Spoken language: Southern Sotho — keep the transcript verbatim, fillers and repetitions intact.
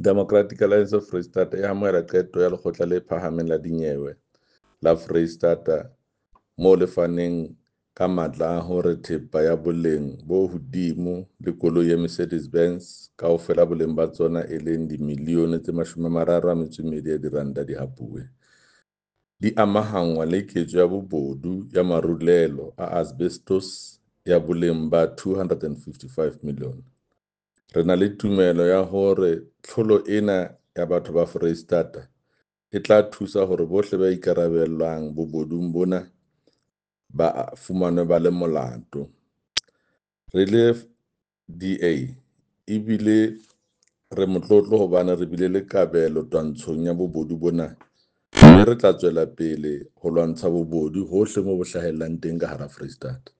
Democratic Alliance of Freistata e amohela qeto ya Lekgotla le Phahameng la Dinyewe la Freistata moo le faneng ka matla a hore thepa ya boleng bo hodimo le koloi ya Mercedes Benz kaofela boleng ba tsona e leng dimilione tse mashome a mararo a metso e mmedi ya diranta di hapuwe, di amahanngwa le ketso ya bobodu ya marulelo a asbestos ya boleng ba two hundred and fifty-five million. Re na le tumelo ya hore tlholo ena ya batho ba Foreisetata e tla thusa hore bohle ba ikarabellang bobodung bona ba fumanwe ba le molato. Re le D A ebile re motlotlo hobane re bile le kabelo twantshong ya bobodu bona mme re tla tswela pele ho lwantsha bobodu hohle moo bo hlahellang teng ka hara Foreisetata.